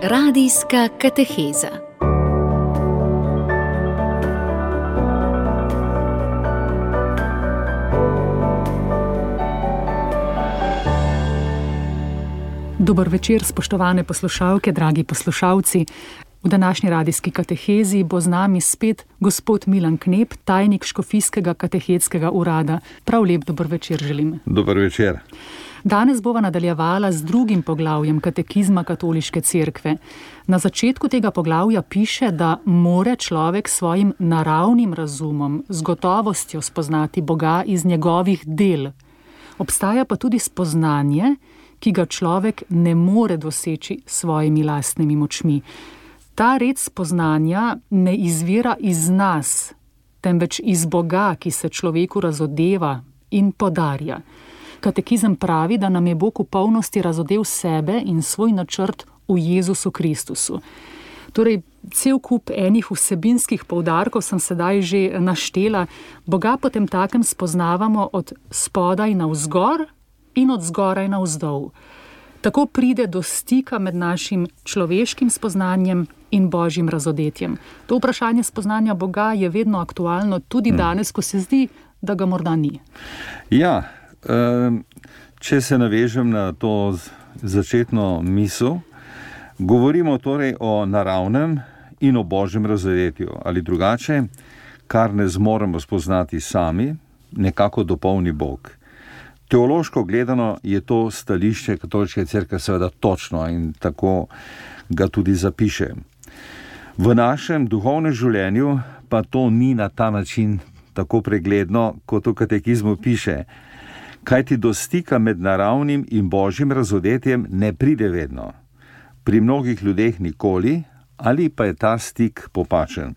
Radijska kateheza. Dober večer, spoštovane poslušalke, dragi poslušalci. V današnji radijski katehezi bo z nami spet gospod Milan Knep, tajnik Škofijskega katehetskega urada. Prav lep dober večer želim. Dober večer. Danes bova nadaljevala z drugim poglavjem katekizma Katoliške cerkve. Na začetku tega poglavja piše, da more človek svojim naravnim razumom z gotovostjo spoznati Boga iz njegovih del. Obstaja pa tudi spoznanje, ki ga človek ne more doseči s svojimi lastnimi močmi. Ta red spoznanja ne izvira iz nas, temveč iz Boga, ki se človeku razodeva in podarja. Katekizem pravi, da nam je Bog v polnosti razodel sebe in svoj načrt v Jezusu Kristusu. Torej, cel kup enih vsebinskih poudarkov sem sedaj že naštela. Boga potem takem spoznavamo od spodaj navzgor in od zgoraj navzdol. Tako pride do stika med našim človeškim spoznanjem in Božjim razodetjem. To vprašanje spoznanja Boga je vedno aktualno, tudi danes, ko se zdi, da ga morda ni. Ja, če se navežem na to začetno misel, govorimo torej o naravnem in o Božjem razodetju. Ali drugače, kar ne zmoremo spoznati sami, nekako dopolni Bog. Teološko gledano je to stališče Katoliške cerkve seveda točno in tako ga tudi zapiše. V našem duhovnem življenju pa to ni na ta način tako pregledno, kot v katekizmu piše. Kajti do stika med naravnim in Božjim razodetjem ne pride vedno. Pri mnogih ljudeh nikoli, ali pa je ta stik popačen.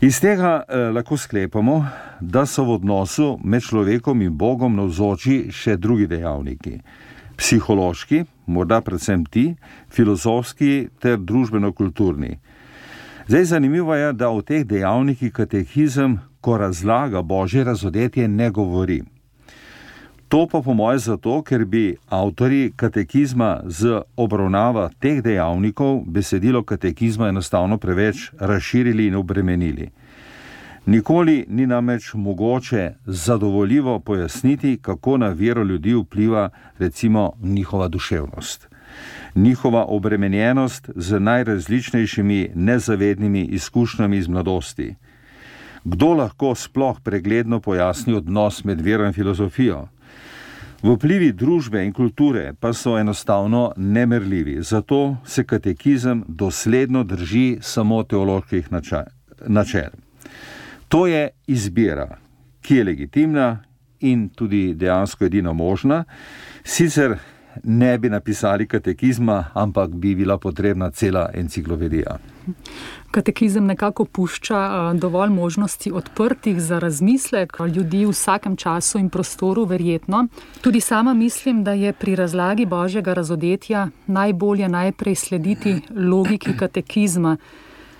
Iz tega lahko sklepamo, da so v odnosu med človekom in Bogom navzoči še drugi dejavniki. Psihološki, morda predvsem ti, filozofski ter družbeno-kulturni. Zdaj zanimivo je, da o teh dejavnikih katekizem, ko razlaga Božje razodetje, ne govori. To pa po moje zato, ker bi avtorji katekizma z obravnava teh dejavnikov besedilo katekizma enostavno preveč razširili in obremenili. Nikoli ni namreč mogoče zadovoljivo pojasniti, kako na vero ljudi vpliva recimo njihova duševnost. Njihova obremenjenost z najrazličnejšimi nezavednimi izkušnjami iz mladosti. Kdo lahko sploh pregledno pojasni odnos med vero in filozofijo? Vplivi družbe in kulture pa so enostavno nemerljivi, zato se katekizem dosledno drži samo teoloških načel. To je izbira, ki je legitimna in tudi dejansko edina možna, sicer ne bi napisali katekizma, ampak bi bila potrebna cela enciklopedija. Katekizem nekako pušča dovolj možnosti odprtih za razmislek ljudi v vsakem času in prostoru, verjetno. Tudi sama mislim, da je pri razlagi Božjega razodetja najbolje najprej slediti logiki katekizma.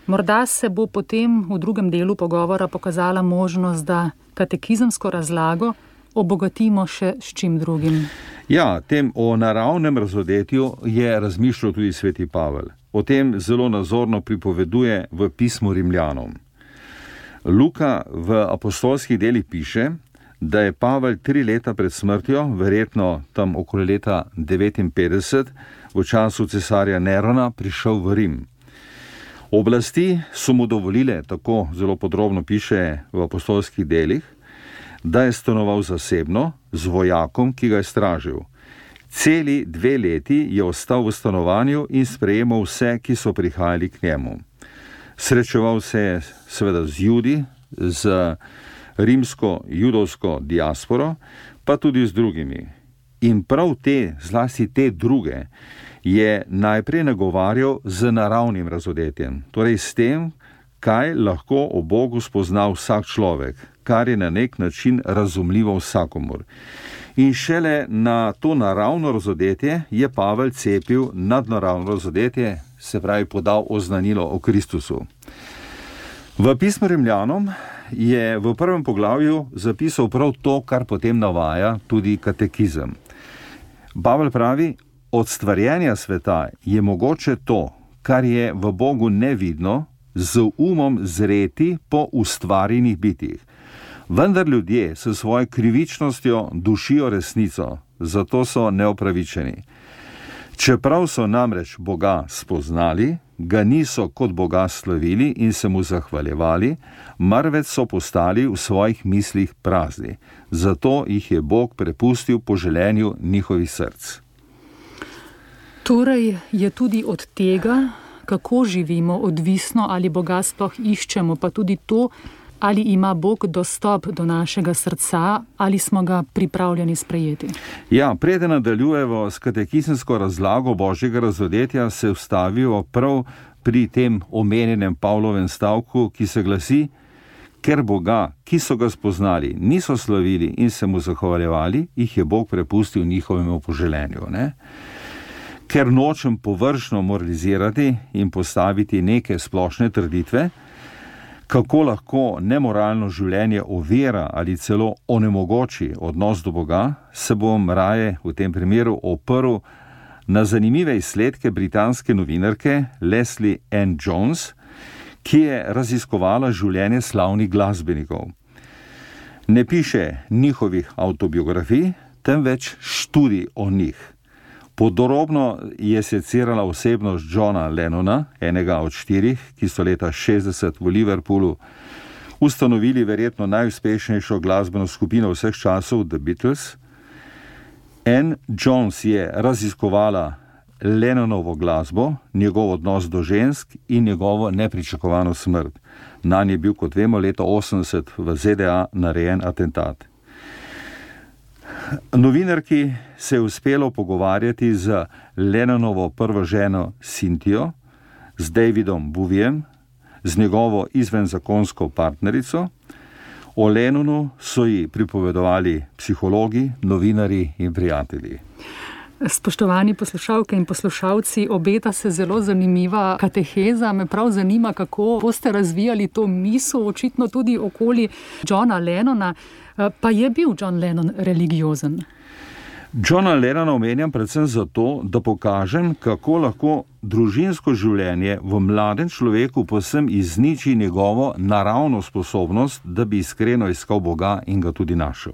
Morda se bo potem v drugem delu pogovora pokazala možnost, da katekizemsko razlago obogatimo še s čim drugim. Ja, tem o naravnem razodetju je razmišljal tudi sveti Pavel. O tem zelo nazorno pripoveduje v pismu Rimljanom. Luka v apostolskih delih piše, da je Pavel 3 leta pred smrtjo, verjetno tam okoli leta 59, v času cesarja Nerona, prišel v Rim. Oblasti so mu dovolile, tako zelo podrobno piše v apostolskih delih, da je stanoval zasebno z vojakom, ki ga je stražil. Celi 2 leti je ostal v stanovanju in sprejemal vse, ki so prihajali k njemu. Srečeval se je seveda z Judi, z rimsko-judovsko diasporo, pa tudi z drugimi. In prav te, zlasti te druge, je najprej nagovarjal z naravnim razodetjem, torej s tem, kaj lahko o Bogu spozna vsak človek, kar je na nek način razumljivo vsakomur. In šele na to naravno razodetje je Pavel cepil nadnaravno razodetje, se pravi podal oznanilo o Kristusu. V pismu Rimljanom je v prvem poglavju zapisal prav to, kar potem navaja tudi katekizem. Pavel pravi, od stvarjenja sveta je mogoče to, kar je v Bogu nevidno, z umom zreti po ustvarjenih bitjih. Vendar ljudje s svojo krivičnostjo dušijo resnico, zato so neopravičeni. Čeprav so namreč Boga spoznali, ga niso kot Boga slavili in se mu zahvaljevali, marveč so postali v svojih mislih prazni. Zato jih je Bog prepustil po želenju njihovih src. Torej je tudi od tega, kako živimo, odvisno, ali Boga sploh iščemo, pa tudi to, ali ima Bog dostop do našega srca, ali smo ga pripravljeni sprejeti. Ja, preden nadaljujemo s katekizemsko razlago Božjega razodetja, se vstavijo prav pri tem omenjenem Pavlovem stavku, ki se glasi: ker Boga, ki so ga spoznali, niso slavili in se mu zahvaljevali, jih je Bog prepustil njihovemu poželenju. Ne? Ker nočem površno moralizirati in postaviti neke splošne trditve, kako lahko nemoralno življenje ovira ali celo onemogoči odnos do Boga, se bom raje v tem primeru oprl na zanimive izsledke britanske novinarke Leslie Ann Jones, ki je raziskovala življenje slavnih glasbenikov. Ne piše njihovih avtobiografij, temveč študij o njih. Podrobno je secirala osebnost Johna Lennona, enega od 4, ki so leta 60 v Liverpoolu ustanovili verjetno najuspešnejšo glasbeno skupino vseh časov, The Beatles. Ann Jones je raziskovala Lennonovo glasbo, njegov odnos do žensk in njegovo nepričakovano smrt. Nanj je bil, kot vemo, leta 80 v ZDA narejen atentat. Novinarki se je uspelo pogovarjati z Lennonovo prvo ženo Cynthijo, z Davidom Bowiem, z njegovo izvenzakonsko partnerico. O Lennonu so ji pripovedovali psihologi, novinarji in prijatelji. Spoštovani poslušalke in poslušalci, obeta se zelo zanimiva kateheza. Me prav zanima, kako boste razvijali to misel, očitno tudi okoli Johna Lennona. Pa je bil John Lennon religiozen? Johna Lennona omenjam predvsem zato, da pokažem, kako lahko družinsko življenje v mladem človeku povsem izniči njegovo naravno sposobnost, da bi iskreno iskal Boga in ga tudi našel.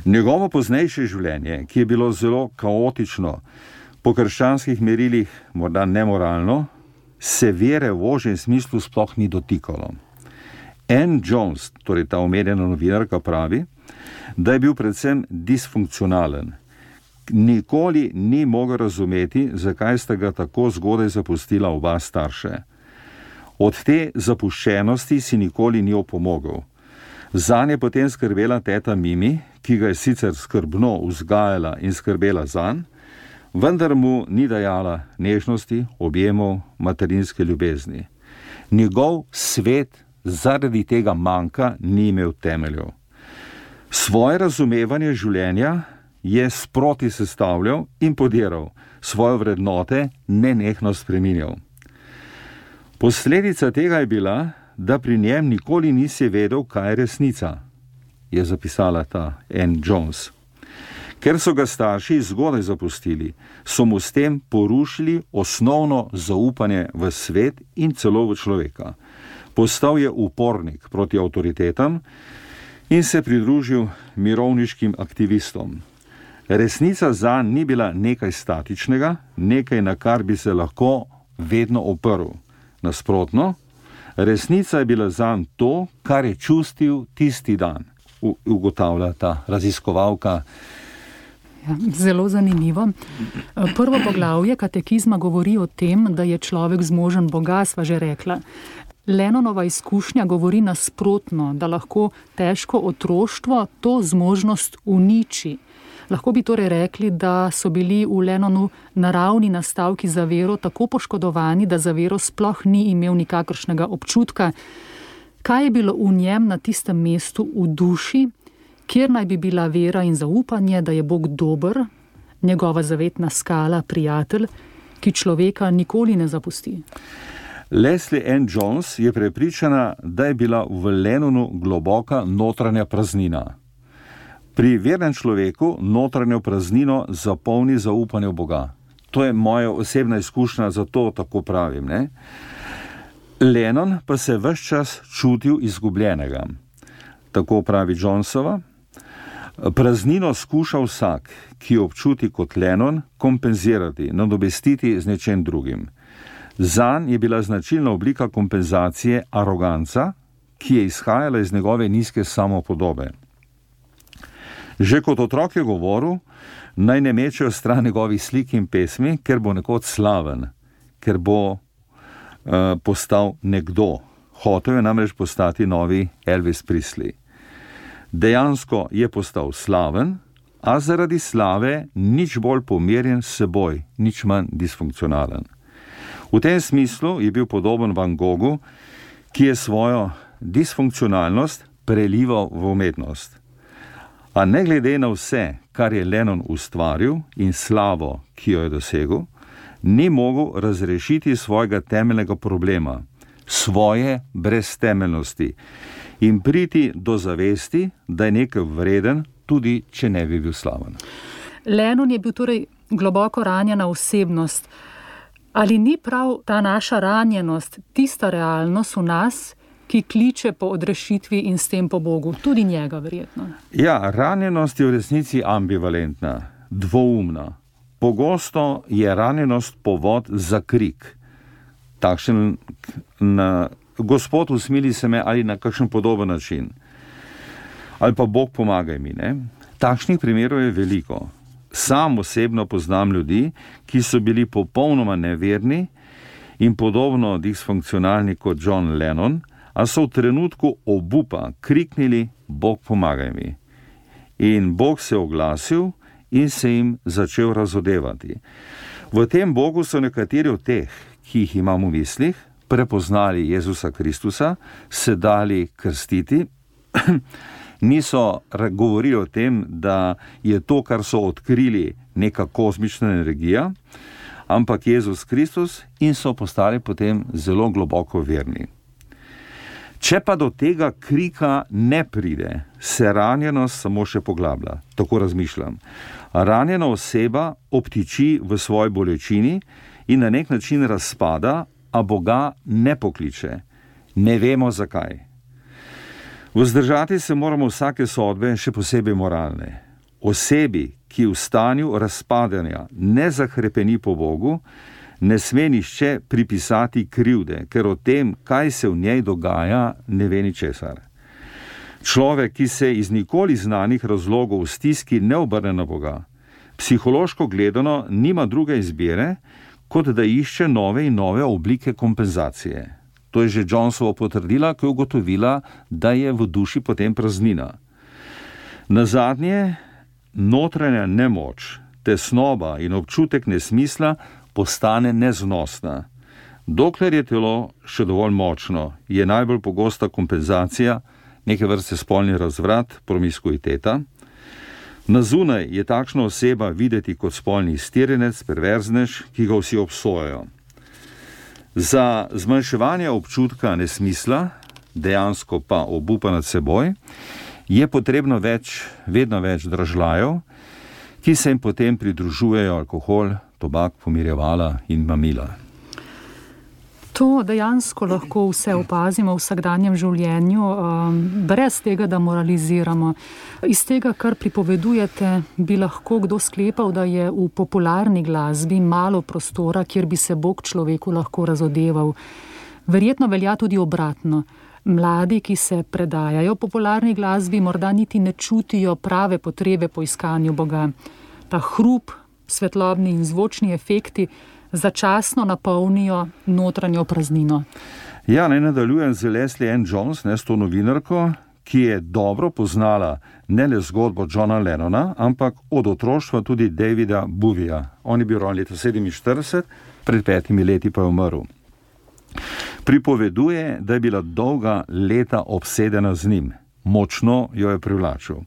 Njegovo poznejše življenje, ki je bilo zelo kaotično, po krščanskih merilih morda nemoralno, se vere v ožjem smislu sploh ni dotikalo. Ann Jones, torej ta omenjena novinarka, pravi, da je bil predvsem disfunkcionalen. Nikoli ni mogel razumeti, zakaj sta ga tako zgodaj zapustila oba starše. Od te zapuščenosti si nikoli ni opomogel. Zanj je potem skrbela teta Mimi, ki ga je sicer skrbno vzgajala in skrbela zanj, vendar mu ni dajala nežnosti, objemov, materinske ljubezni. Njegov svet zaradi tega manjka ni imel temeljev. Svoje razumevanje življenja je sproti sestavljal in podiral, svoje vrednote nenehno spreminjal. Posledica tega je bila, da pri njem nikoli nisi vedel, kaj je resnica, je zapisala ta Ann Jones. Ker so ga starši zgodaj zapustili, so mu s tem porušili osnovno zaupanje v svet in celo v človeka. Postal je upornik proti avtoritetam in se pridružil mirovniškim aktivistom. Resnica zanj ni bila nekaj statičnega, nekaj, na kar bi se lahko vedno oprl. Nasprotno, resnica je bila zanj to, kar je čustil tisti dan, ugotavlja ta raziskovalka. Ja, zelo zanimivo. Prvo poglavje katekizma govori o tem, da je človek zmožen Boga, sva že rekla. Lennonova izkušnja govori nasprotno, da lahko težko otroštvo to zmožnost uniči. Lahko bi torej rekli, da so bili v Lennonu naravni nastavki za vero tako poškodovani, da za vero sploh ni imel nikakršnega občutka. Kaj je bilo v njem na tistem mestu v duši, kjer naj bi bila vera in zaupanje, da je Bog dober, njegova zavetna skala, prijatelj, ki človeka nikoli ne zapusti? Leslie Ann Jones je prepričana, da je bila v Lennonu globoka notranja praznina. Pri vernem človeku notranjo praznino zapolni zaupanje v Boga. To je moja osebna izkušnja, zato tako pravim, ne? Lennon pa se ves čas čutil izgubljenega. Tako pravi Jonesova. Praznino skuša vsak, ki jo občuti kot Lennon, kompenzirati, nadomestiti z nečem drugim. Zanj je bila značilna oblika kompenzacije aroganca, ki je izhajala iz njegove nizke samopodobe. Že kot otrok je govoril, naj ne mečejo stran njegovih slik in pesmi, ker bo nekoč slaven, ker bo postal nekdo. Hotel je namreč postati novi Elvis Presley. Dejansko je postal slaven, a zaradi slave nič bolj pomirjen s seboj, nič manj disfunkcionalen. V tem smislu je bil podoben Van Goghu, ki je svojo disfunkcionalnost prelival v umetnost. A ne glede na vse, kar je Lennon ustvaril in slavo, ki jo je dosegel, ni mogel razrešiti svojega temeljnega problema, svoje breztemeljnosti in priti do zavesti, da je nekaj vreden, tudi če ne bi bil slaven. Lennon je bil torej globoko ranjena osebnost. Ali ni prav ta naša ranjenost tista realnost v nas, ki kliče po odrešitvi in s tem po Bogu, tudi njega verjetno? Ja, ranjenost je v resnici ambivalentna, dvoumna. Pogosto je ranjenost povod za krik. Takšen Gospod usmili se me ali na kakšen podoben način. Ali pa Bog pomagaj mi, ne? Takšnih primerov je veliko. Sam osebno poznam ljudi, ki so bili popolnoma neverni in podobno disfunkcionalni kot John Lennon, a so v trenutku obupa kriknili Bog pomagaj mi. In Bog se je oglasil in se jim začel razodevati. V tem Bogu so nekateri od teh, ki jih imam v mislih, prepoznali Jezusa Kristusa, se dali krstiti, niso govorili o tem, da je to, kar so odkrili, neka kozmična energija, ampak Jezus Kristus, in so postali potem zelo globoko verni. Če pa do tega krika ne pride, se ranjenost samo še poglablja. Tako razmišljam. Ranjena oseba obtiči v svoji bolečini in na nek način razpada, a Boga ne pokliče. Ne vemo zakaj. Vzdržati se moramo vsake sodbe, še posebej moralne. Osebi, ki v stanju razpadanja ne zahrepeni po Bogu, ne sme nišče pripisati krivde, ker o tem, kaj se v njej dogaja, ne ve ničesar. Človek, ki se iz nikoli znanih razlogov v stiski ne obrne na Boga, psihološko gledano nima druge izbire, kot da išče nove in nove oblike kompenzacije. To je že Jonesova potrdila, ko je ugotovila, da je v duši potem praznina. Nazadnje, notranja nemoč, tesnoba in občutek nesmisla postane neznosna. Dokler je telo še dovolj močno, je najbolj pogosta kompenzacija neke vrste spolni razvrat, promiskuiteta. Na zunaj je takšna oseba videti kot spolni iztirjenec, perverznež, ki ga vsi obsojajo. Za zmanjševanje občutka nesmisla, dejansko pa obupa nad seboj, je potrebno vedno več dražljajev, ki se jim potem pridružujejo alkohol, tobak, pomirjevala in mamila. To dejansko lahko vse opazimo v vsakdanjem življenju, brez tega, da moraliziramo. Iz tega, kar pripovedujete, bi lahko kdo sklepal, da je v popularni glasbi malo prostora, kjer bi se Bog človeku lahko razodeval. Verjetno velja tudi obratno. Mladi, ki se predajajo popularni glasbi, morda niti ne čutijo prave potrebe po iskanju Boga. Ta hrup, svetlobni in zvočni efekti začasno napolnijo notranjo praznino. Ja, naj nadaljujem z Leslie Ann Jones, s to novinarko, ki je dobro poznala ne le zgodbo Johna Lennona, ampak od otroštva tudi Davida Bowieja. On je bil rojen leta 1947, pred 5 leti pa je umrl. Pripoveduje, da je bila dolga leta obsedena z njim. Močno jo je privlačil.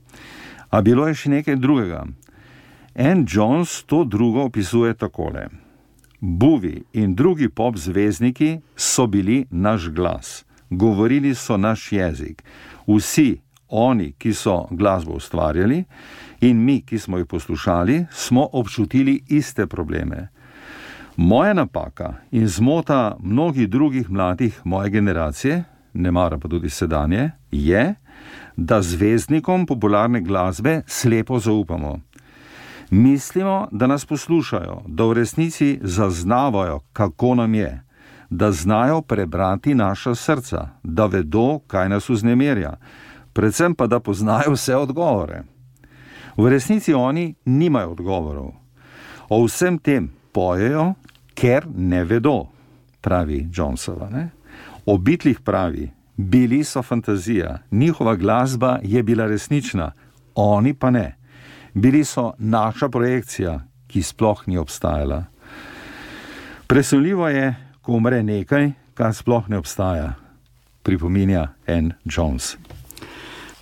A bilo je še nekaj drugega. Ann Jones to drugo opisuje takole. Bowie in drugi pop zvezdniki so bili naš glas. Govorili so naš jezik. Vsi, oni, ki so glasbo ustvarjali, in mi, ki smo jih poslušali, smo občutili iste probleme. Moja napaka in zmota mnogih drugih mladih moje generacije, ne mara pa tudi sedanje, je, da zvezdnikom popularne glasbe slepo zaupamo. Mislimo, da nas poslušajo, da v resnici zaznavajo, kako nam je, da znajo prebrati naša srca, da vedo, kaj nas vznemirja, predvsem pa, da poznajo vse odgovore. V resnici oni nimajo odgovorov. O vsem tem pojejo, ker ne vedo, pravi Jonesova. Ne? O Beatlih pravi, bili so fantazija, njihova glasba je bila resnična, oni pa ne. Bili so naša projekcija, ki sploh ni obstajala. Presunljivo je, ko umre nekaj, kar sploh ne obstaja, pripominja Ann Jones.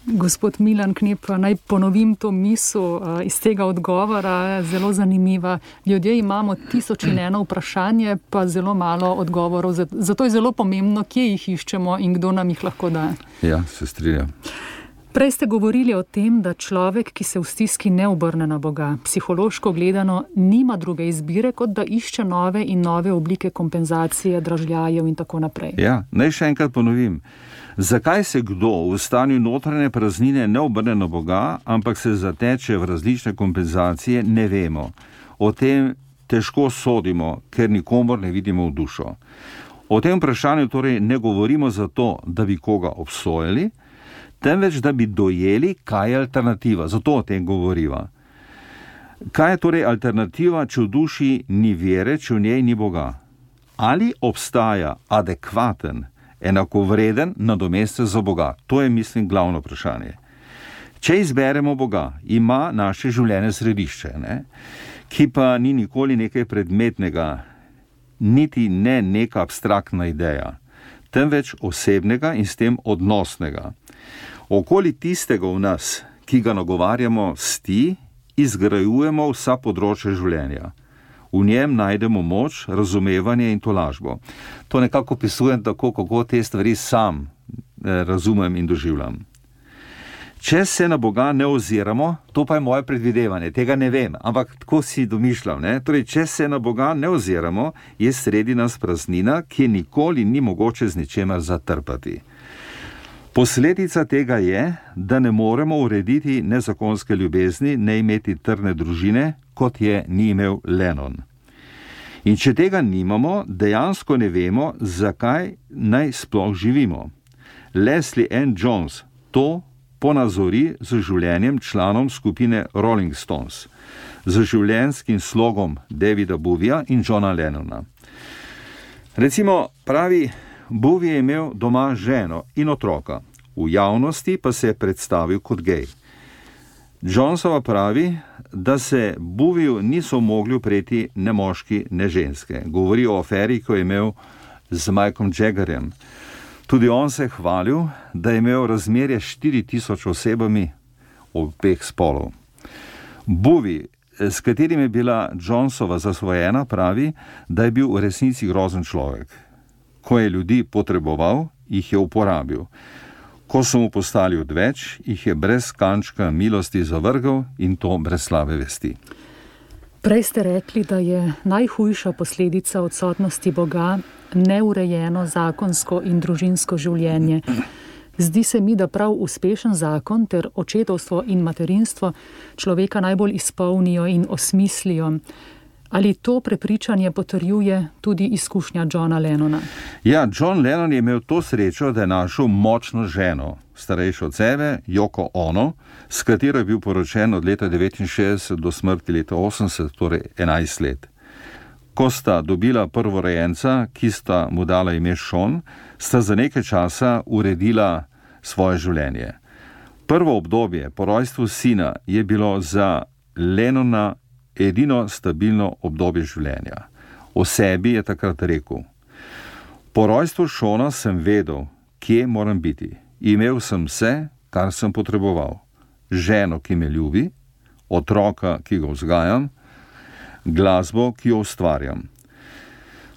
Gospod Milan Knep, naj ponovim to misel iz tega odgovora, zelo zanimiva. Ljudje imamo 1001 vprašanje, pa zelo malo odgovorov. Zato je zelo pomembno, kje jih iščemo in kdo nam jih lahko da. Ja, se strinjam. Prej ste govorili o tem, da človek, ki se v stiski ne obrne na Boga, psihološko gledano nima druge izbire, kot da išče nove in nove oblike kompenzacije, dražljajev in tako naprej. Ja, naj še enkrat ponovim. Zakaj se kdo v stanju notranje praznine ne obrne na Boga, ampak se zateče v različne kompenzacije, ne vemo. O tem težko sodimo, ker nikomor ne vidimo v dušo. O tem vprašanju torej ne govorimo zato, da bi koga obsojali, temveč da bi dojeli, kaj je alternativa. Zato o tem govoriva. Kaj je torej alternativa, če v duši ni vere, če v njej ni Boga? Ali obstaja adekvaten, enakovreden nadomestek za Boga? To je, mislim, glavno vprašanje. Če izberemo Boga, ima naše življenje središče, ki pa ni nikoli nekaj predmetnega, niti ne neka abstraktna ideja, temveč osebnega in s tem odnosnega. Okoli tistega v nas, ki ga nagovarjamo sti, izgrajujemo vsa področja življenja. V njem najdemo moč, razumevanje in tolažbo. To nekako opisujem tako, kako te stvari sam razumem in doživljam. Če se na Boga ne oziramo, to pa je moje predvidevanje, tega ne vem, ampak tako si domišljam. Torej, če se na Boga ne oziramo, je sredi nas praznina, ki nikoli ni mogoče z ničemer zatrpati. Posledica tega je, da ne moremo urediti nezakonske ljubezni, ne imeti trdne družine, kot je ni imel Lennon. In če tega nimamo, dejansko ne vemo, zakaj naj sploh živimo. Leslie Ann Jones to ponazori z življenjem članom skupine Rolling Stones, z življenjskim slogom Davida Bowieja in Johna Lennona. Recimo, pravi, Bowie je imel doma ženo in otroka, v javnosti pa se je predstavil kot gej. Jonesova pravi, da se Bowieju niso mogli upreti ne moški, ne ženske. Govori o aferi, ko je imel z Mikeom Jaggerjem. Tudi on se je hvalil, da je imel razmerje 4000 osebami obeh spolov. Bowie, s katerim je bila Jonesova zasvojena, pravi, da je bil v resnici grozen človek. Ko je ljudi potreboval, jih je uporabil. Ko so mu postali odveč, jih je brez kančka milosti zavrgel in to brez slabe vesti. Prej ste rekli, da je najhujša posledica odsotnosti Boga neurejeno zakonsko in družinsko življenje. Zdi se mi, da prav uspešen zakon ter očetovstvo in materinstvo človeka najbolj izpolnijo in osmislijo. Ali to prepričanje potrjuje tudi izkušnja Johna Lennona? Ja, John Lennon je imel to srečo, da je našel močno ženo, starejšo od sebe, Yoko Ono, s katero je bil poročen od leta 1969 do smrti leta 1980, torej 11 let. Ko sta dobila prvorojenca, ki sta mu dala ime Sean, sta za nekaj časa uredila svoje življenje. Prvo obdobje po rojstvu sina je bilo za Lennona edino stabilno obdobje življenja. O sebi je takrat rekel: po rojstvu Seana sem vedel, kje moram biti. Imel sem vse, kar sem potreboval. Ženo, ki me ljubi, otroka, ki ga vzgajam, glasbo, ki jo ustvarjam.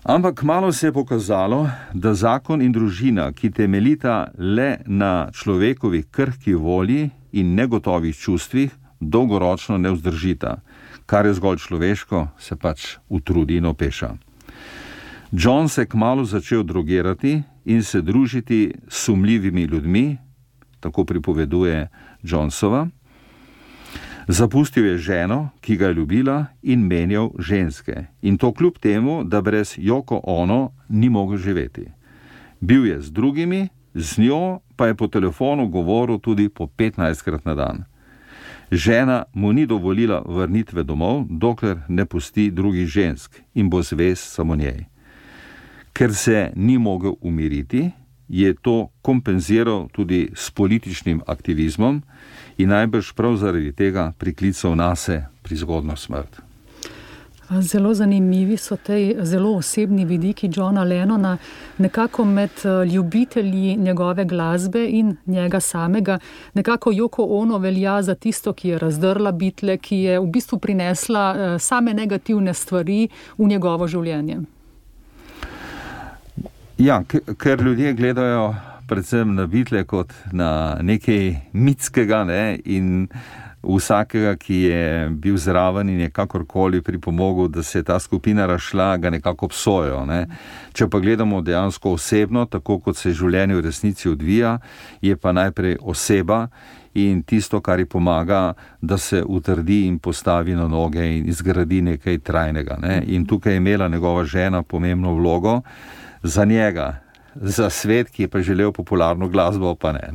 Ampak kmalu se je pokazalo, da zakon in družina, ki temeljita le na človekovih krhki volji in negotovih čustvih, dolgoročno ne vzdržita. Kar je zgolj človeško, se pač utrudi in opeša. John se kmalu začel drogirati in se družiti s sumljivimi ljudmi, tako pripoveduje Johnsova. Zapustil je ženo, ki ga je ljubila, in menjal ženske. In to kljub temu, da brez Yoko Ono ni mogel živeti. Bil je z drugimi, z njo pa je po telefonu govoril tudi po 15krat na dan. Žena mu ni dovolila vrnitve domov, dokler ne pusti drugih žensk in bo zvest samo njej. Ker se ni mogel umiriti, je to kompenziral tudi s političnim aktivizmom in najbrž prav zaradi tega priklical nase prizgodno smrt. Zelo zanimivi so te zelo osebni vidiki Johna Lennona, nekako med ljubitelji njegove glasbe in njega samega. Nekako Yoko Ono velja za tisto, ki je razdrla Beatle, ki je v bistvu prinesla same negativne stvari v njegovo življenje. Ja, ker ljudje gledajo predvsem na Beatle kot na nekaj mitskega, ne, in vsakega, ki je bil zraven in je kakorkoli pripomogel, da se je ta skupina razšla, ga nekako obsojajo, ne. Če pa gledamo dejansko osebno, tako kot se življenje v resnici odvija, je pa najprej oseba in tisto, kar ji pomaga, da se utrdi in postavi na noge in izgradi nekaj trajnega, ne. In tukaj je imela njegova žena pomembno vlogo za njega, za svet, ki je pa želel popularno glasbo, pa ne.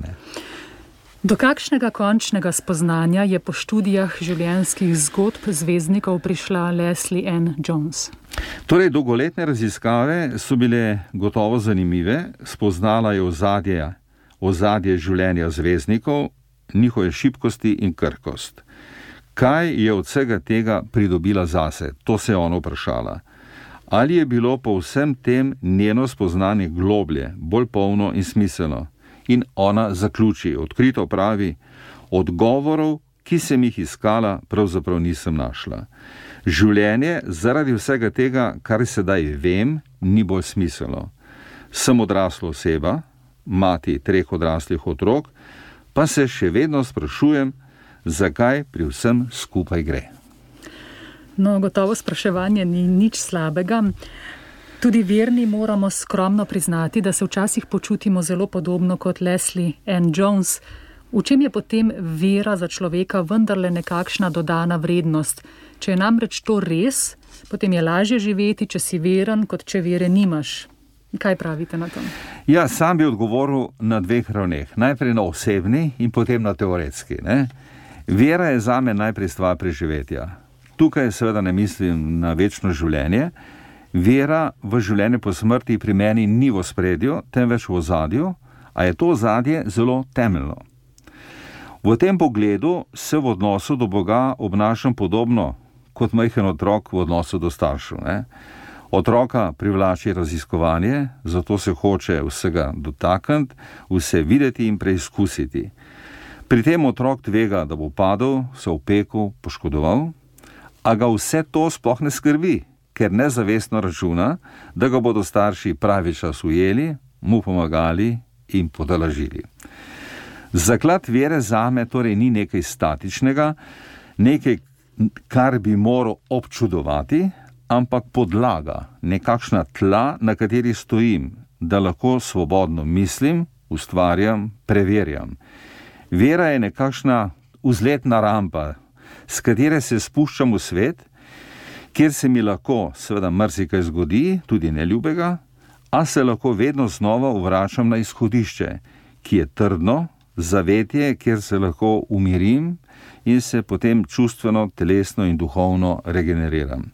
Do kakšnega končnega spoznanja je po študijah življenjskih zgodb zvezdnikov prišla Leslie Ann Jones? Torej, dolgoletne raziskave so bile gotovo zanimive, spoznala je ozadje življenja zvezdnikov, njihove šibkosti in krhkost. Kaj je od vsega tega pridobila zase? To se je ona vprašala. Ali je bilo po vsem tem njeno spoznanje globlje, bolj polno in smiselno? In ona zaključi, odkrito pravi, odgovorov, ki sem jih iskala, pravzaprav nisem našla. Življenje zaradi vsega tega, kar sedaj vem, ni bolj smiselno. Sem odrasla oseba, mati 3 odraslih otrok, pa se še vedno sprašujem, zakaj pri vsem skupaj gre. No, gotovo spraševanje ni nič slabega. Tudi verni moramo skromno priznati, da se včasih počutimo zelo podobno kot Leslie Ann Jones. V čem je potem vera za človeka vendarle nekakšna dodana vrednost? Če je namreč to res, potem je lažje živeti, če si veren, kot če vere nimaš. Kaj pravite na to? Ja, sam bi odgovoril na 2 ravneh. Najprej na osebni in potem na teoretski, ne? Vera je zame najprej stvar preživetja. Tukaj seveda ne mislim na večno življenje. Vera v življenje po smrti pri meni ni v ospredju, temveč v ozadju, a je to ozadje zelo temeljno. V tem pogledu se v odnosu do Boga obnašam podobno kot majhen otrok v odnosu do staršev, ne? Otroka privlači raziskovanje, zato se hoče vsega dotakniti, vse videti in preizkusiti. Pri tem otrok tvega, da bo padel, se opekel, poškodoval, a ga vse to sploh ne skrbi, ker nezavestno računa, da ga bodo starši pravi čas ujeli, mu pomagali in potolažili. Zaklad vere zame torej ni nekaj statičnega, nekaj, kar bi moral občudovati, ampak podlaga, nekakšna tla, na kateri stojim, da lahko svobodno mislim, ustvarjam, preverjam. Vera je nekakšna vzletna rampa, s katere se spuščam v svet, kjer se mi lahko seveda marsikaj zgodi, tudi neljubega, a se lahko vedno znova vračam na izhodišče, ki je trdno, zavetje, kjer se lahko umirim in se potem čustveno, telesno in duhovno regeneriram.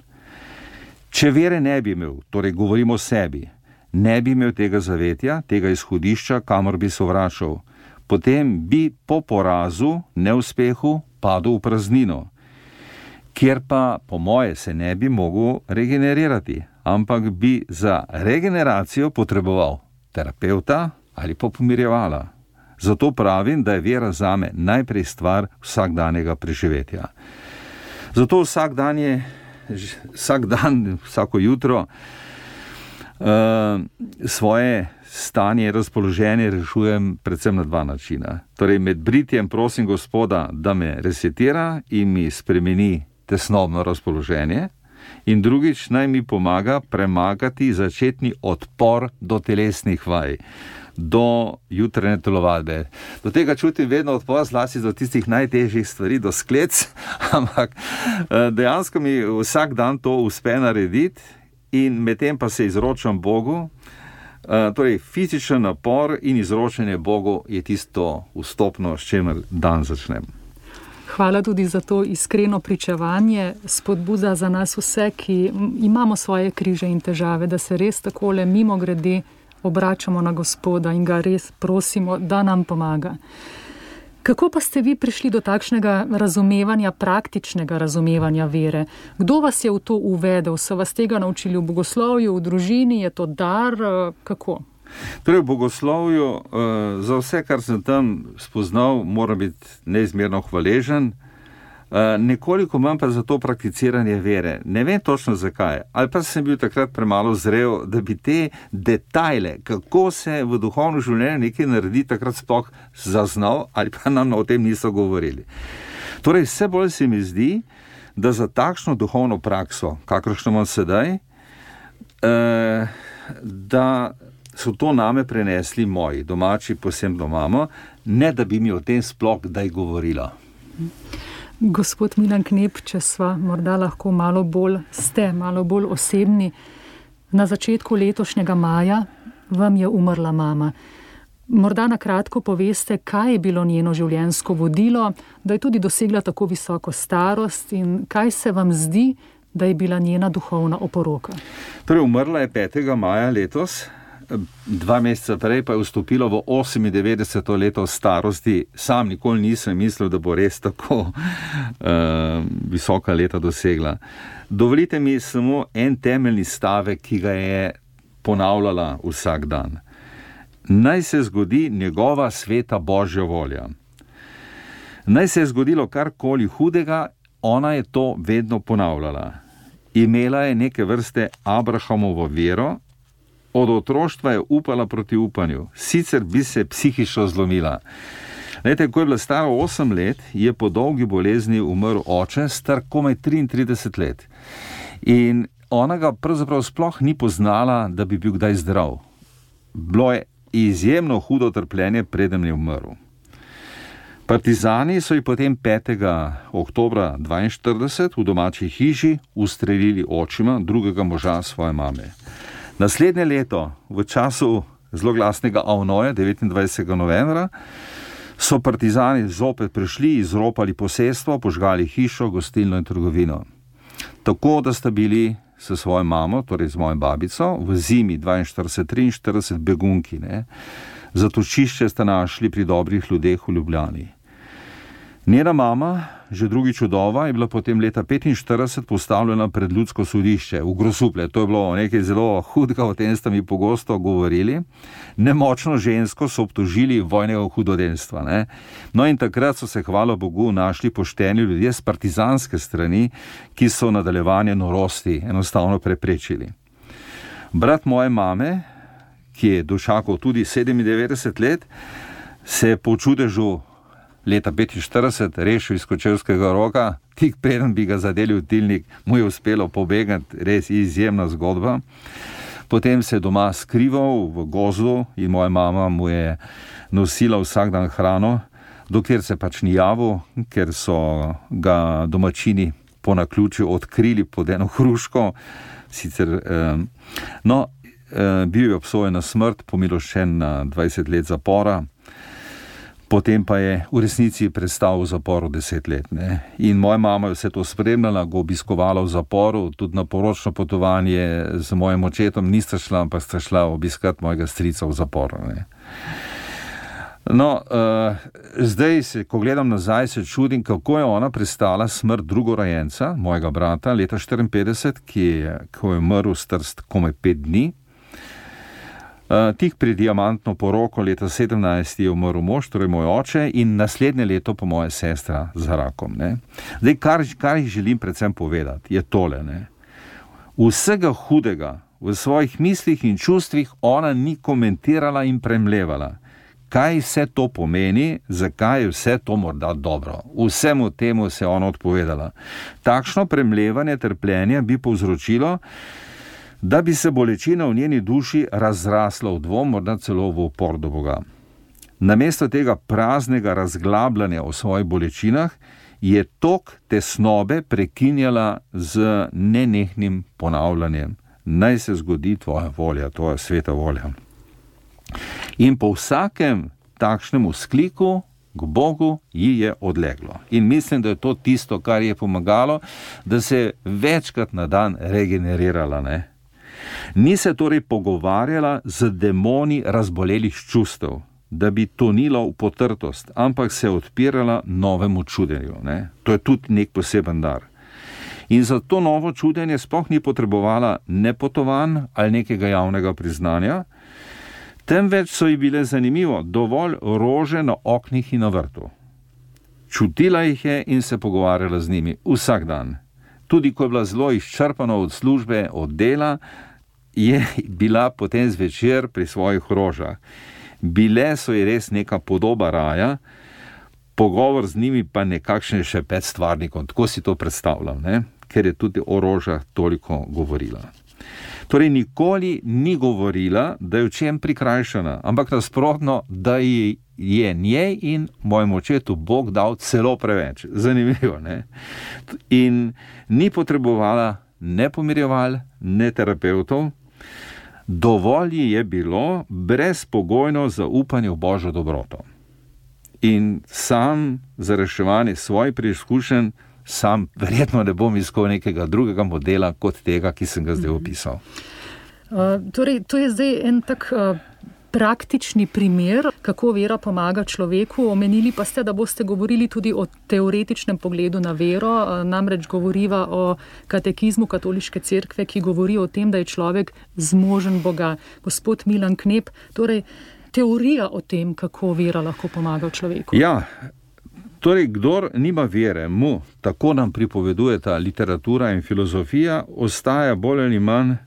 Če vere ne bi imel, torej govorimo o sebi, ne bi imel tega zavetja, tega izhodišča, kamor bi se vračal, potem bi po porazu, neuspehu, padel v praznino, kjer pa po moje se ne bi mogel regenerirati, ampak bi za regeneracijo potreboval terapeuta ali pa pomirjevala. Zato pravim, da je vera zame najprej stvar vsakdanjega preživetja. Zato vsako jutro Svoje stanje, razpoloženje rešujem predvsem na dva načina. Torej, med britjem prosim Gospoda, da me resetira in mi spremeni tesnobno razpoloženje, in drugič naj mi pomaga premagati začetni odpor do telesnih vaj, do jutranje telovadbe. Do tega čutim vedno odpor, zlasti do tistih najtežjih stvari, do sklec, ampak dejansko mi vsak dan to uspe narediti in medtem pa se izročam Bogu. Torej, fizičen napor in izročanje Bogu je tisto vstopno, s čemer dan začnem. Hvala tudi za to iskreno pričevanje, spodbuda za nas vse, ki imamo svoje križe in težave, da se res takole mimogrede obračamo na Gospoda in ga res prosimo, da nam pomaga. Kako pa ste vi prišli do takšnega razumevanja, praktičnega razumevanja vere? Kdo vas je v to uvedel? So vas tega naučili v bogoslovju, v družini? Je to dar? Kako? Torej, v bogoslovju za vse, kar sem tam spoznal, moram biti neizmerno hvaležen. Nekoliko manj pa za to prakticiranje vere. Ne vem točno zakaj, ali pa sem bil takrat premalo zrel, da bi te detajle, kako se v duhovno življenje nekaj naredi, takrat sploh zaznal, ali pa nam o tem niso govorili. Torej, vse bolj se mi zdi, da za takšno duhovno prakso, kakršno imam sedaj, da so to name prenesli moji domači, posebno mamo, ne da bi mi o tem sploh kdaj govorila. Gospod Milan Knep, če sva morda lahko malo bolj osebni. Na začetku letošnjega maja vam je umrla mama. Morda na kratko poveste, kaj je bilo njeno življenjsko vodilo, da je tudi dosegla tako visoko starost in kaj se vam zdi, da je bila njena duhovna oporoka. Torej, umrla je 5. maja letos. 2 meseca prej pa je vstopilo v 98. leto starosti. Sam nikoli nisem mislil, da bo res tako visoka leta dosegla. Dovolite mi samo en temeljni stavek, ki ga je ponavljala vsak dan. Naj se zgodi njegova sveta Božja volja. Naj se je zgodilo karkoli hudega, ona je to vedno ponavljala. Imela je neke vrste Abrahamovo vero, od otroštva je upala proti upanju, sicer bi se psihično zlomila. Lejte, ko je bila stara 8 let, je po dolgi bolezni umrl oče, star komaj 33 let. In ona ga pravzaprav sploh ni poznala, da bi bil kdaj zdrav. Bilo je izjemno hudo trpljenje, preden je umrl. Partizani so ji potem 5. oktobra 1942 v domači hiši ustrelili očima drugega moža svoje mame. Naslednje leto, v času zloglasnega avnoja, 29. novembra, so partizani zopet prišli, izropali posestvo, požgali hišo, gostilno in trgovino. Tako, da sta bili s svojo mamo, torej z mojo babico, v zimi 42-43 begunki. Zatočišče sta našli pri dobrih ljudeh v Ljubljani. Njena mama, že drugič vdova, je bila potem leta 1945 postavljena pred ljudsko sodišče v Grosuplje. To je bilo nekaj zelo hudega, o tem ste mi pogosto govorili. Nemočno žensko so obtožili vojnega hudodelstva. No in takrat so se, hvala Bogu, našli pošteni ljudje z partizanske strani, ki so nadaljevanje norosti enostavno preprečili. Brat moje mame, ki je dočakal tudi 97 let, se je po čudežu leta 1945 rešil iz Kočevskega Roga, tik preden bi ga zadeli v tilnik, mu je uspelo pobegati, res izjemna zgodba. Potem se je doma skrival v gozdu in moja mama mu je nosila vsak dan hrano, dokler se pač ni javil, ker so ga domačini po naključju odkrili pod eno hruško. Sicer, bil je obsojen na smrt, pomiloščen na 20 let zapora. Potem pa je v resnici prestal v zaporu 10 let. In moja mama je vse to spremljala, ga obiskovala v zaporu, tudi na poročno potovanje z mojim očetom nista šla, ampak sta šla obiskati mojega strica v zaporu. Zdaj, ko gledam nazaj, se čudim, kako je ona prestala smrt drugorojenca, mojega brata, leta 1954, ko je umrl star komaj 5 dni. Tik pred diamantno poroko leta 17 je umrl mož, torej moj oče, in naslednje leto pa moja sestra z rakom. Zdaj, kar jih želim predvsem povedati, je tole. Vsega hudega v svojih mislih in čustvih ona ni komentirala in premlevala, kaj vse to pomeni, zakaj je vse to morda dobro. Vsemu temu se je ona odpovedala. Takšno premlevanje trpljenja bi povzročilo, da bi se bolečina v njeni duši razrasla v dvom, morda celo v upor do Boga. Namesto tega praznega razglabljanja o svojih bolečinah je tok tesnobe prekinjala z nenehnim ponavljanjem. Naj se zgodi tvoja volja, tvoja sveta volja. In po vsakem takšnem vzkliku k Bogu ji je odleglo. In mislim, da je to tisto, kar je pomagalo, da se je večkrat na dan regenerirala, ne? Ni se torej pogovarjala z demoni razbolelih čustev, da bi tonila v potrtost, ampak se je odpirala novemu čudenju, ne? To je tudi nek poseben dar. In za to novo čudenje sploh ni potrebovala ne potovanj ali nekega javnega priznanja, temveč so ji bile zanimivo dovolj rože na oknih in na vrtu. Čutila jih je in se pogovarjala z njimi vsak dan. Tudi ko je bila zelo izčrpana od službe, od dela, je bila potem zvečer pri svojih rožah. Bile so ji res neka podoba raja, pogovor z njimi pa nekakšen šepet stvarnikom. Tako si to predstavljam, ne? Ker je tudi o rožah toliko govorila. Torej nikoli ni govorila, da je v čem prikrajšana, ampak nasprotno, da je njej in mojemu očetu Bog dal celo preveč. Zanimivo, ne? In ni potrebovala ne pomirjeval, ne terapeutov. Dovolj ji je bilo brezpogojno zaupanje v Božjo dobroto. In sam za reševanje svojih preizkušenj sam verjetno ne bom iskal nekega drugega modela kot tega, ki sem ga zdaj opisal. Torej, to je zdaj en tak praktični primer, kako vera pomaga človeku. Omenili pa ste, da boste govorili tudi o teoretičnem pogledu na vero, namreč govoriva o katekizmu Katoliške cerkve, ki govori o tem, da je človek zmožen Boga. Gospod Milan Knep, torej teorija o tem, kako vera lahko pomaga človeku. Ja, torej, kdor nima vere, mu, tako nam pripovedujeta literatura in filozofija, ostaja bolj ali manj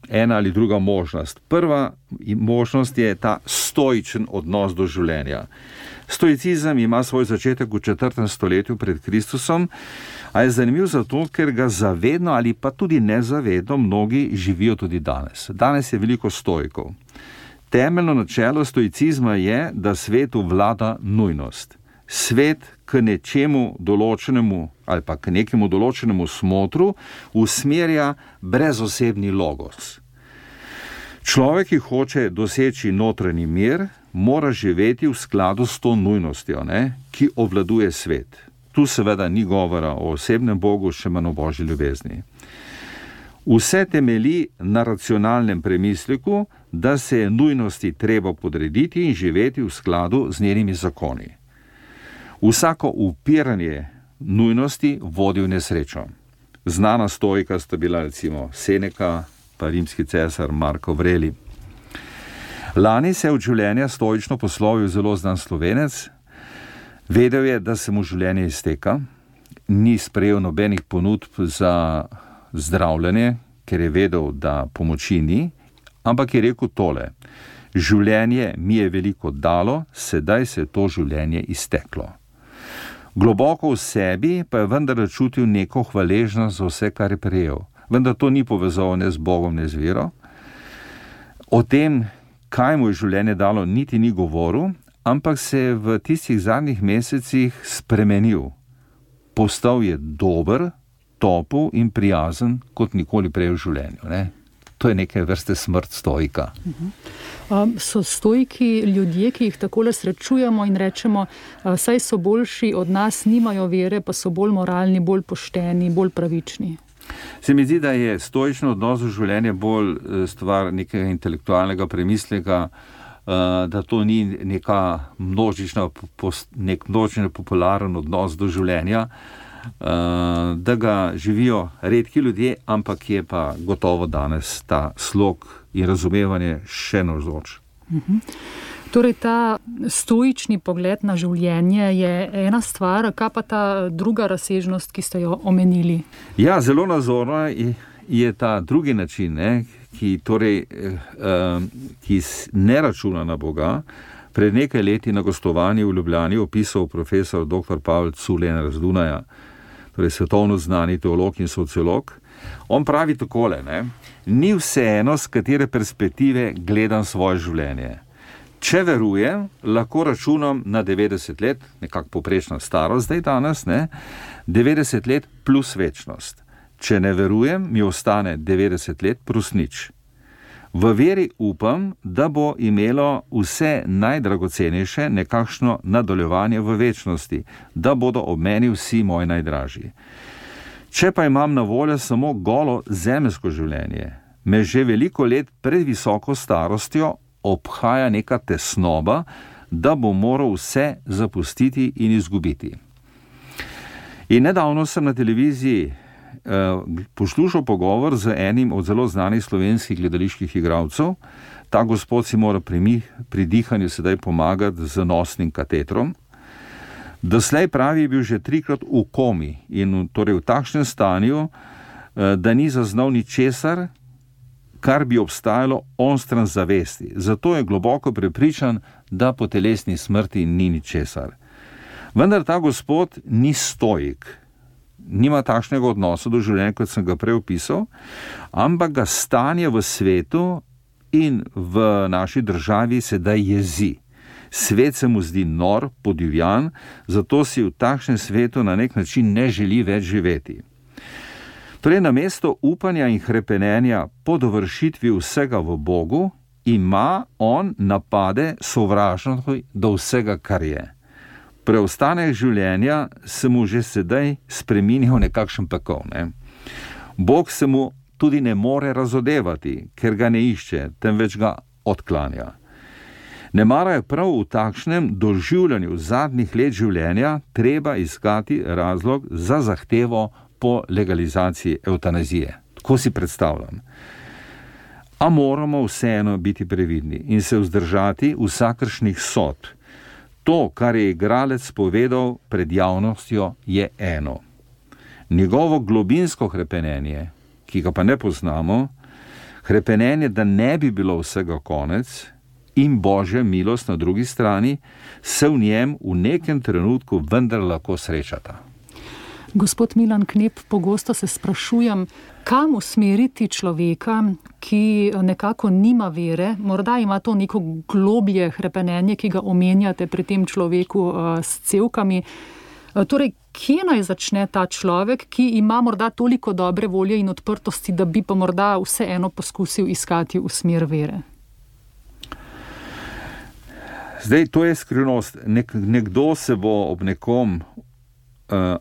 ena ali druga možnost. Prva možnost je ta stoičen odnos do življenja. Stoicizem ima svoj začetek v 4. stoletju pred Kristusom, a je zanimiv zato, ker ga zavedno ali pa tudi nezavedno mnogi živijo tudi danes. Danes je veliko stoikov. Temeljno načelo stoicizma je, da svetu vlada nujnost. Svet k nečemu določenemu ali pa k nekemu določenemu smotru usmerja brezosebni logos. Človek, ki hoče doseči notranji mir, mora živeti v skladu s to nujnostjo, ne, ki obvladuje svet. Tu seveda ni govora o osebnem Bogu, še manj o Božji ljubezni. Vse temelji na racionalnem premisleku, da se je nujnosti treba podrediti in živeti v skladu z njenimi zakoni. Vsako upiranje nujnosti vodi v nesrečo. Znana stoika sta bila recimo Seneca pa rimski cesar Marko Aurelij. Lani se je od življenja stoično poslovil zelo znan Slovenec. Vedel je, da se mu življenje izteka, ni sprejel nobenih ponudb za zdravljenje, ker je vedel, da pomoči ni, ampak je rekel tole: življenje mi je veliko dalo, sedaj se je to življenje izteklo. Globoko v sebi pa je vendar čutil neko hvaležnost za vse, kar je prejel. Vendar to ni povezal ne z Bogom, ne z vero. O tem, kaj mu je življenje dalo, niti ni govoril, ampak se je v tistih zadnjih mesecih spremenil. Postal je dober, topel in prijazen kot nikoli prej v življenju, ne? To je neke vrste smrt stoika. So stoiki ljudje, ki jih takole srečujemo in rečemo, saj so boljši od nas, nimajo vere, pa so bolj moralni, bolj pošteni, bolj pravični? Se mi zdi, da je stoično odnos v življenje bolj stvar nekega intelektualnega premisleka, da to ni nek množično popularen odnos do življenja, da ga živijo redki ljudje, ampak je pa gotovo danes ta slog in razumevanje še navzoč. Torej, ta stoični pogled na življenje je ena stvar, kaj pa ta druga razsežnost, ki ste jo omenili? Ja, zelo nazorna je ta drugi način, ki ne računa na Boga, pred nekaj leti na gostovanju v Ljubljani opisal profesor dr. Pavel Culen z Dunaja, torej svetovno znani teolog in sociolog. On pravi takole, ni vseeno, z katere perspektive gledam svoje življenje. Če verujem, lahko računam na 90 let, nekako poprečna starost zdaj danes, 90 let plus večnost. Če ne verujem, mi ostane 90 let plus nič. V veri upam, da bo imelo vse najdragocenejše nekakšno nadaljevanje v večnosti, da bodo ob meni vsi moji najdražji. Če pa imam na voljo samo golo zemeljsko življenje, me že veliko let pred visoko starostjo obhaja neka tesnoba, da bo moral vse zapustiti in izgubiti. In nedavno sem na televiziji poslušal pogovor z enim od zelo znanih slovenskih gledaliških igralcev. Ta gospod si mora pri dihanju sedaj pomagati z nosnim katetrom. Doslej pravi, je bil že 3-krat v komi in torej v takšnem stanju, da ni zaznal ničesar, kar bi obstajalo onstran zavesti. Zato je globoko prepričan, da po telesni smrti ni ničesar. Vendar ta gospod ni stoik. Nima takšnega odnosa do življenja, kot sem ga prej opisal, ampak ga stanje v svetu in v naši državi sedaj jezi. Svet se mu zdi nor, podivjan, zato si v takšnem svetu na nek način ne želi več živeti. Torej, namesto upanja in hrepenenja po dovršitvi vsega v Bogu, ima on napade sovražnosti do vsega, kar je. Preostanek življenja se mu že sedaj spreminja v nekakšen pekel. Bog se mu tudi ne more razodevati, ker ga ne išče, temveč ga odklanja. Nemara je prav v takšnem doživljanju zadnjih let življenja treba iskati razlog za zahtevo po legalizaciji evtanazije. Tako si predstavljam. A moramo vseeno biti previdni in se vzdržati vsakršnih sodb. To, kar je igralec povedal pred javnostjo, je eno. Njegovo globinsko hrepenenje, ki ga pa ne poznamo, hrepenenje, da ne bi bilo vsega konec, in Božja milost na drugi strani, se v njem v nekem trenutku vendar lahko srečata. Gospod Milan Knep, pogosto se sprašujem, kam usmeriti človeka, ki nekako nima vere, morda ima to neko globlje hrepenenje, ki ga omenjate pri tem človeku s cevkami. Torej, kje naj začne ta človek, ki ima morda toliko dobre volje in odprtosti, da bi pa morda vseeno poskusil iskati v smer vere? Zdaj, to je skrivnost. Nekdo se bo ob nekom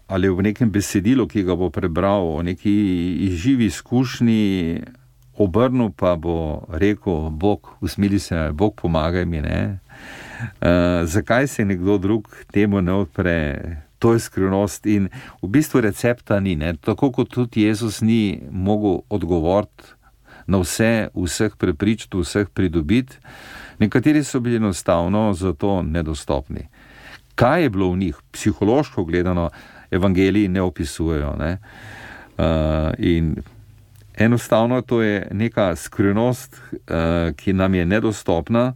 ali v nekem besedilu, ki ga bo prebral, o neki živi izkušnji obrnil, pa bo rekel, Bog, usmili se, Bog, pomagaj mi, zakaj se nekdo drug temu ne odpre? To je skrivnost in v bistvu recepta ni, tako kot tudi Jezus ni mogel odgovoriti na vseh prepričati, vseh pridobiti. Nekateri so bili enostavno zato nedostopni. Kaj je bilo v njih? Psihološko gledano evangeliji ne opisujejo. In enostavno to je neka skrivnost, ki nam je nedostopna.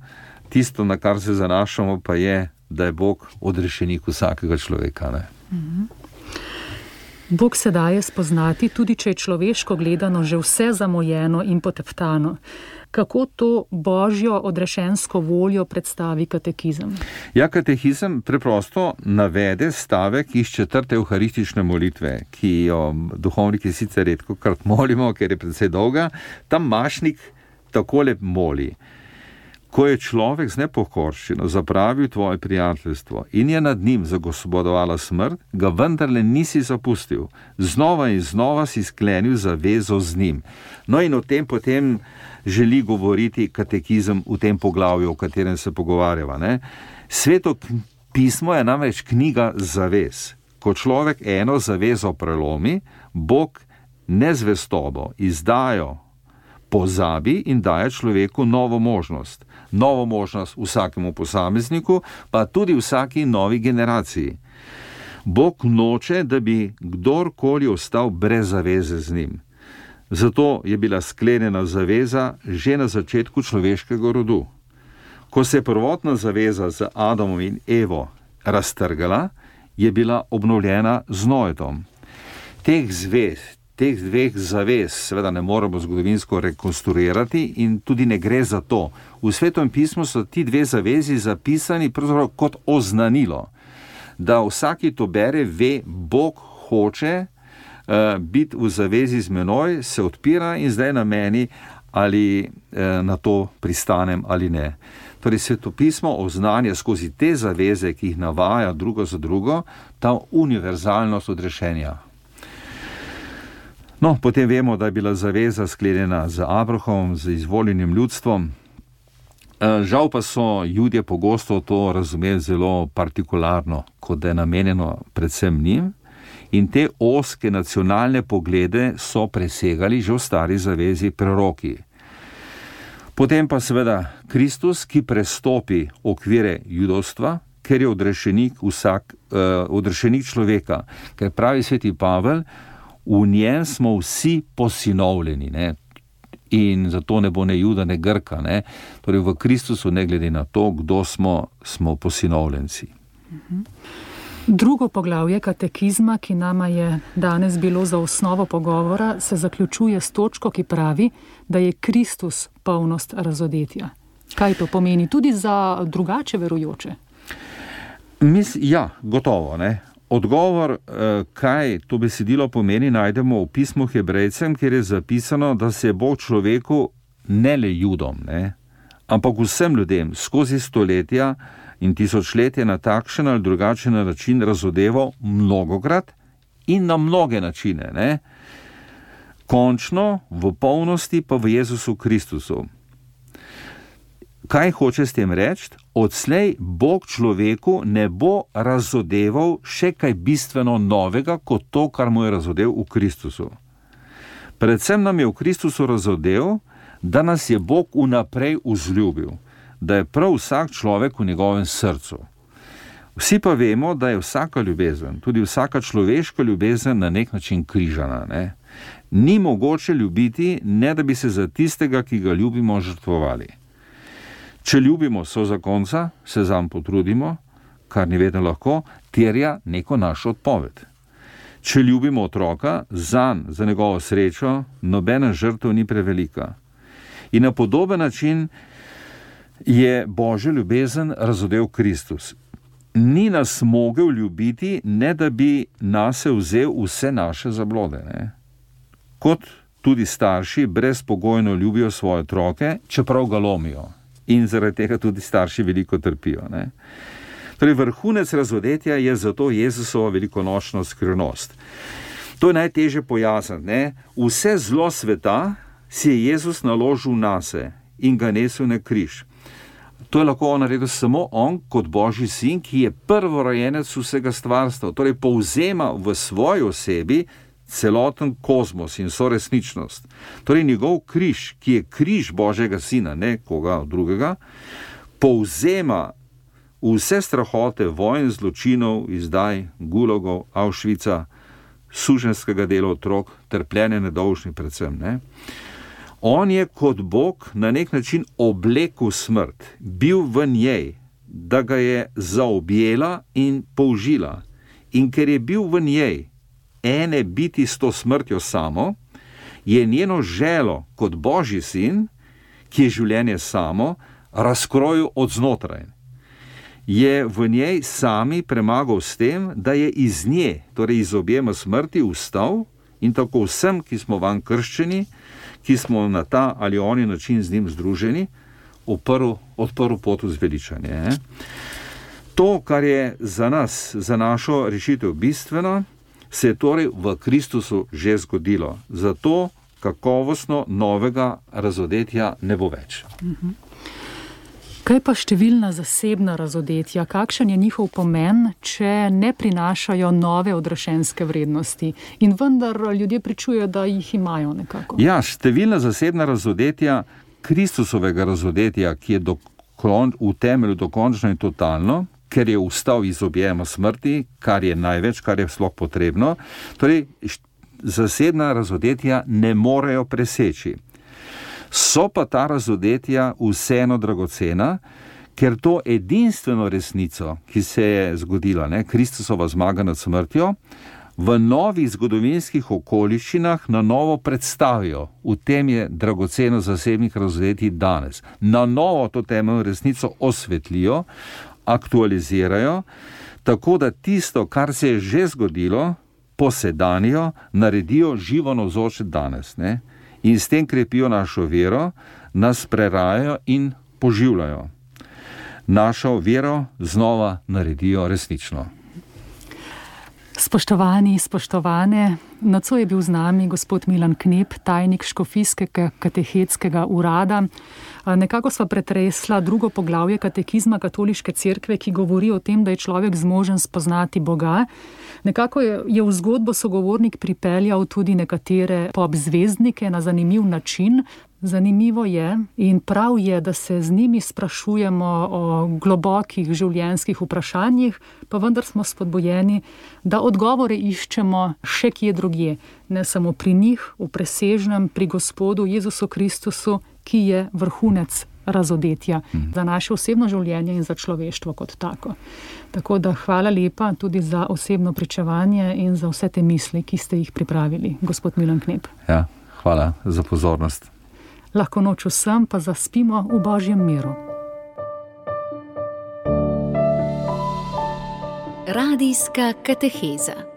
Tisto, na kar se zanašamo, pa je, da je Bog odrešenik vsakega človeka. Bog se daje spoznati, tudi če je človeško gledano že vse zamojeno in poteptano. Kako to Božjo odrešensko voljo predstavi katekizem? Ja, katekizem preprosto navede stavek iz 4. evharistične molitve, ki jo duhovniki sicer redkokrat molimo, ker je precej dolga. Tam Mašnik takole moli: ko je človek z nepokorščino zapravil tvoje prijateljstvo in je nad njim zagospodovala smrt, ga vendarle nisi zapustil. Znova in znova si sklenil zavezo z njim. No in o tem potem želi govoriti katekizem v tem poglavju, o katerem se pogovarjava. Sveto pismo je namreč knjiga zavez. Ko človek eno zavezo prelomi, Bog nezvestobo, izdajo pozabi in daje človeku novo možnost. Novo možnost vsakemu posamezniku, pa tudi vsaki novi generaciji. Bog noče, da bi kdorkoli ostal brez zaveze z njim. Zato je bila sklenjena zaveza že na začetku človeškega rodu. Ko se je prvotna zaveza z Adamom in Evo raztrgala, je bila obnovljena z Noetom. Teh dveh zavez seveda ne moremo zgodovinsko rekonstruirati in tudi ne gre za to. V Svetem pismu so ti dve zavezi zapisani pravzaprav kot oznanilo, da vsaki to bere, ve, Bog hoče biti v zavezi z menoj, se odpira in zdaj na meni, ali na to pristanem ali ne. Torej Svetopismo oznanja skozi te zaveze, ki jih navaja drugo za drugo, ta univerzalnost odrešenja. No, potem vemo, da je bila zaveza sklenjena z Abrahamom, z izvoljenim ljudstvom. Žal pa so Judje pogosto to razumeli zelo partikularno, kot da je namenjeno predvsem njim, in te ozke nacionalne poglede so presegali že v stari zavezi proroki. Potem pa seveda Kristus, ki prestopi okvire judovstva, ker je odrešenik človeka, ker pravi sveti Pavel, v njem smo vsi posinovljeni, ne? In zato ne bo ne Juda, ne Grka, ne? Torej v Kristusu, ne glede na to, kdo smo posinovljenci. Drugo poglavje katekizma, ki nama je danes bilo za osnovo pogovora, se zaključuje s točko, ki pravi, da je Kristus polnost razodetja. Kaj to pomeni tudi za drugače verujoče? Ja, gotovo, ne. Odgovor, kaj to besedilo pomeni, najdemo v pismu Hebrejcem, kjer je zapisano, da se je Bog človeku, ne le Judom, ne, ampak vsem ljudem skozi stoletja in tisočletje na takšen ali drugačen način razodeval mnogokrat in na mnoge načine, ne. Končno, v polnosti pa v Jezusu Kristusu. Kaj hoče s tem reči? Odslej Bog človeku ne bo razodeval še kaj bistveno novega, kot to, kar mu je razodev v Kristusu. Predvsem nam je v Kristusu razodev, da nas je Bog vnaprej vzljubil, da je prav vsak človek v njegovem srcu. Vsi pa vemo, da je vsaka ljubezen, tudi vsaka človeška ljubezen na nek način križana, ne? Ni mogoče ljubiti, ne da bi se za tistega, ki ga ljubimo, žrtvovali. Če ljubimo sozakonca, se zanj potrudimo, kar ni vedno lahko, terja neko našo odpoved. Če ljubimo otroka, zanj, za njegovo srečo, nobena žrtev ni prevelika. In na podoben način je Božja ljubezen razodev Kristus. Ni nas mogel ljubiti, ne da bi nase vzel vse naše zablode, ne? Kot tudi starši brezpogojno ljubijo svoje otroke, čeprav ga lomijo. In zaradi tega tudi starši veliko trpijo, ne? Torej, vrhunec razodetja je zato Jezusova velikonočna skrivnost. To je najtežje pojasniti, ne? Vse zlo sveta si je Jezus naložil nase in ga nesel na križ. To je lahko naredil samo on kot Božji sin, ki je prvorojenec vsega stvarstva, torej povzema v svoji osebi celoten kozmos in soresničnost. Torej njegov križ, ki je križ Božjega sina, ne koga drugega, povzema vse strahote vojn, zločinov, izdaj, gulagov, Auschwitza, suženjskega dela otrok, trpljenja nedolžnih predvsem, ne. On je kot Bog na nek način oblekel smrt, bil v njej, da ga je zaobjela in použila. In ker je bil v njej, ene biti s to smrtjo samo, je njeno želo kot Božji sin, ki je življenje samo, razkrojil od znotraj. Je v njej sami premagal s tem, da je iz nje, torej iz objema smrti, vstal in tako vsem, ki smo vanj krščeni, ki smo na ta ali oni način z njim združeni, odprl pot v zveličanje. To, kar je za nas, za našo rešitev bistveno, se je torej v Kristusu že zgodilo. Zato kakovostno novega razodetja ne bo več. Kaj pa številna zasebna razodetja? Kakšen je njihov pomen, če ne prinašajo nove odrešenske vrednosti? In vendar ljudje pričujejo, da jih imajo nekako. Ja, številna zasebna razodetja Kristusovega razodetja, ki je v temelju dokončno in totalno, ker je vstal iz objema smrti, kar je največ, kar je sploh potrebno. Torej, zasebna razodetja ne morejo preseči. So pa ta razodetja vseeno dragocena, ker to edinstveno resnico, ki se je zgodila, Kristusova zmaga nad smrtjo, v novih zgodovinskih okoliščinah na novo predstavijo. V tem je dragoceno zasebnih razodetij danes. Na novo to temeljno resnico osvetlijo, aktualizirajo, tako da tisto, kar se je že zgodilo, posedanijo, naredijo živo navzoče danes. In s tem krepijo našo vero, nas prerajajo in poživljajo. Našo vero znova naredijo resnično. Spoštovani, spoštovane, nocoj je bil z nami gospod Milan Knep, tajnik Škofijskega katehetskega urada. Nekako sva pretresla drugo poglavje katekizma Katoliške cerkve, ki govori o tem, da je človek zmožen spoznati Boga. Nekako je v zgodbo sogovornik pripeljal tudi nekatere popzvezdnike na zanimiv način. Zanimivo je in prav je, da se z njimi sprašujemo o globokih življenjskih vprašanjih, pa vendar smo spodbujeni, da odgovore iščemo še kje drugje, ne samo pri njih, v presežnem, pri Gospodu Jezusu Kristusu, ki je vrhunec razodetja za naše osebno življenje in za človeštvo kot tako. Tako da hvala lepa tudi za osebno pričevanje in za vse te misli, ki ste jih pripravili, gospod Milan Knep. Ja, hvala za pozornost. Lahko noč vsem, pa zaspimo v Božjem miru. Radijska kateheza.